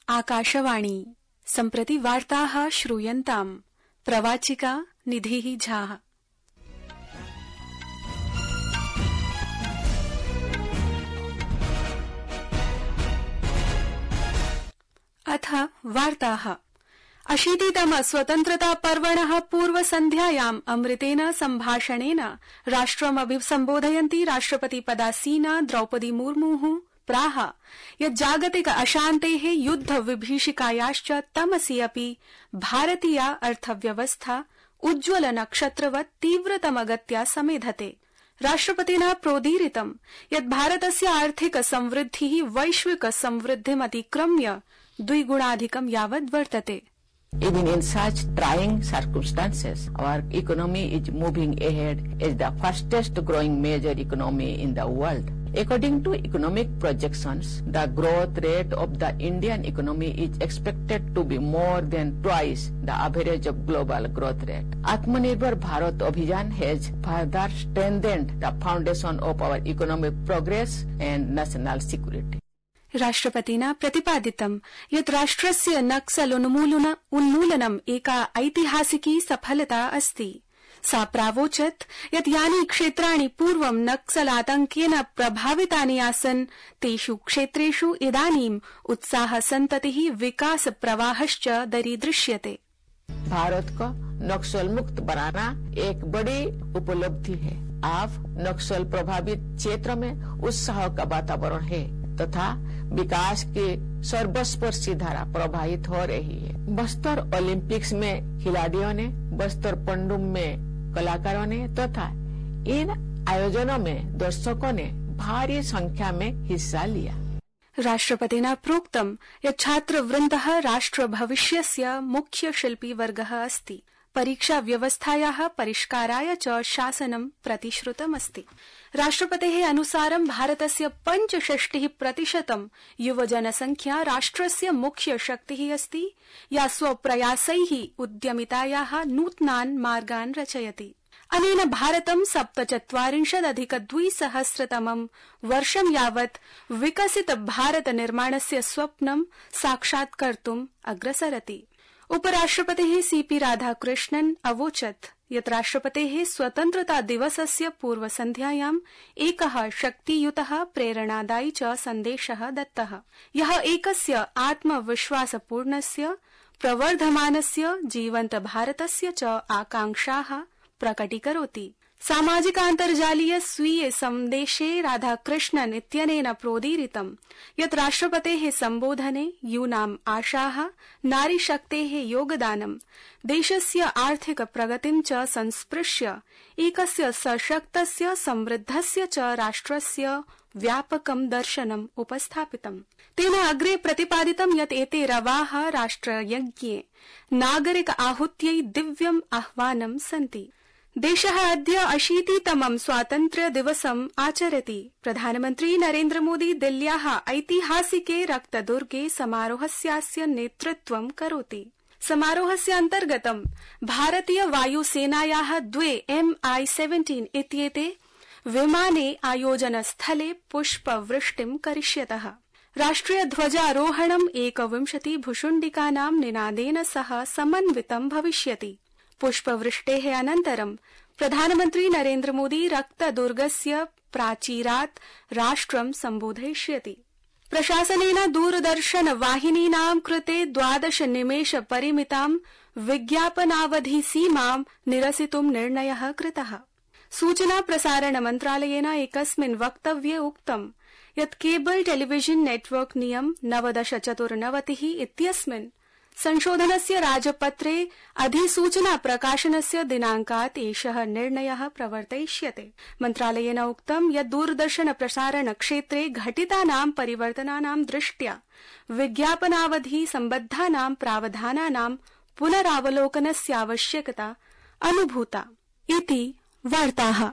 आकाशवाणी सम्प्रति वार्ताः श्रूयन्ताम्। प्रवाचिका निधिः झा। अथ वार्ताः। 80तम स्वतन्त्रता पर्वणः पूर्वसन्ध्यायाम् अमृतेन सम्भाषणेन राष्ट्रम् अभिसम्बोधयन्ती राष्ट्रपति पदासीना द्रौपदी मुर्मुः प्राह यत् जागतिक अशान्तेः युद्ध विभीषिकायाश्च तमसि अपि भारतीया अर्थव्यवस्था उज्ज्वल नक्षत्रवत् तीव्रतमगत्या समेधते। राष्ट्रपतिना प्रोदीरितं यत् भारतस्य आर्थिक संवृद्धिः वैश्विक संवृद्धिमतिक्रम्य द्विगुणाधिकं यावत् वर्तते। Even in such trying circumstances, our economy is moving ahead as the fastest growing major economy in the world. According to economic projections, the growth rate of the Indian economy is expected to be more than twice the average of global growth rate. Atmanirbhar Bharat Abhiyan has further strengthened the foundation of our economic progress and national security. राष्ट्रपतिना प्रतिपादितं यत् राष्ट्रस्य नक्सल उन्मूलनम् एका ऐतिहासिकी सफलता अस्ति। सा प्रावोचत् यत् यानि क्षेत्राणि पूर्वं नक्सलातंकेन प्रभावितानि आसन् तेषु क्षेत्रेषु इदानीम् उत्साह सन्ततिः विकास प्रवाहश्च दरीदृश्यते। भारत को नक्सल मुक्त बनाना एक बड़ी उपलब्धि है। अब नक्सल प्रभावित क्षेत्र में उत्साह का वातावरण है तथा विकास की सर्वस्पर्शी धारा प्रवाहित हो रही है। बस्तर ओलंपिक्स में खिलाड़ियों ने, बस्तर पंडुम में कलाकारों ने तथा इन आयोजनों में दर्शकों ने भारी संख्या में हिस्सा लिया। राष्ट्रपतिना प्रोक्तं यत् छात्रवृन्दः राष्ट्र भविष्यस्य मुख्य शिल्पी वर्गः अस्ति। परीक्षा व्यवस्थायाः परिष्काराय च शासनं प्रतिश्रुतमस्ति। राष्ट्रपतेः अनुसारं भारतस्य 65% युवजनसंख्या राष्ट्रस्य मुख्य शक्तिः अस्ति या स्वप्रयासैः उद्यमितायाः नूतनान् मार्गान् रचयति। अनेन भारतं 47अधिक-2000तमं वर्षं यावत् विकसित भारत निर्माणस्य स्वप्नं साक्षात्कर्तुम् अग्रसरति। उपराष्ट्रपतिः सीपी राधाकृष्णन् अवोचत् यत् राष्ट्रपतेः स्वतन्त्रता दिवसस्य पूर्वसन्ध्यायाम् एकः शक्तियुतः प्रेरणादायी च सन्देशः दत्तः यः एकस्य आत्मविश्वासपूर्णस्य प्रवर्धमानस्य जीवन्त भारतस्य च आकांक्षाः प्रकटीकरोति। सामाजिकान्तर्जालीय स्वीये सन्देशे राधाकृष्णन् इत्यनेन प्रोदीरितं यत् राष्ट्रपतेः सम्बोधने यूनाम् आशाः, नारीशक्तेः योगदानं, देशस्य आर्थिक प्रगतिं च संस्पृश्य एकस्य सशक्तस्य समृद्धस्य च राष्ट्रस्य व्यापकं दर्शनम् उपस्थापितम्। तेन अग्रे प्रतिपादितं यत् एते रवाः राष्ट्रयज्ञे नागरिक आहुत्यै दिव्यम् आह्वानं सन्ति। देशः अद्य 80तमं स्वातन्त्र्य दिवसम् आचरति। प्रधानमन्त्री नरेन्द्र मोदी दिल्ल्याः ऐतिहासिके रक्तदुर्गे समारोहस्यास्य नेतृत्वं करोति। समारोहस्य अन्तर्गतं भारतीय वायुसेनायाः 2 MI-17 इत्येते विमाने आयोजनस्थले पुष्पवृष्टिं करिष्यतः। राष्ट्रिय ध्वजारोहणम् 21 भुशुण्डिकानां निनादेन सह समन्वितं भविष्यति। पुष्पवृष्टेः अनन्तरं प्रधानमन्त्री नरेन्द्र मोदी रक्तदुर्गस्य प्राचीरात् राष्ट्रं सम्बोधयिष्यति। प्रशासनेन दूरदर्शन वाहिनीनां कृते 12 निमेष परिमितां विज्ञापनावधि सीमां निरसितुं निर्णयः कृतः। सूचना प्रसारण मन्त्रालयेन एकस्मिन् वक्तव्ये उक्तं यत् केबल टेलीविजन नेटवर्क नियम 1994 इत्यस्मिन् संशोधनस्य राजपत्रे अधिसूचना प्रकाशनस्य दिनांकात् एषः निर्णयः प्रवर्तयिष्यते। मन्त्रालयेन उक्तं यत् दूरदर्शन प्रसारण क्षेत्रे घटितानां परिवर्तनानां दृष्ट्या विज्ञापनावधि सम्बद्धानां प्रावधानानां पुनरावलोकनस्य आवश्यकता अनुभूता इति वार्ताः।